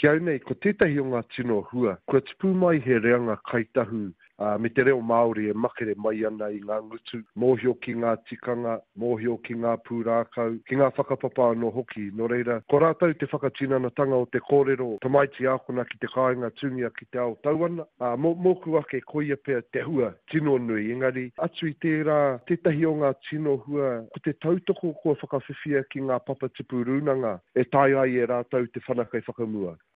Ki au nei, ko tētahi o ngā tino hua, kua tupu mai he reanga Kāi Tahu, ā, me te reo Māori e makere mai ana i ngā ngutu, mōhio ki ngā tikanga, mōhio ki ngā pūrākau, ki ngā whakapapa anō hoki. Nō reira, ko rātou te whakatinanatanga o te kōrero, tamaiti ākona ki te kāinga, tūngia ki te ao tau ana. Ā, mō, mōku ake, koia pea te hua tino nui. Engari, atu i tērā, tētahi o ngā tino hua, ko te tautoko kua whakawhiwhia ki ngā papatipu rūnanga, e taea ai e rātou te whanake whakamua.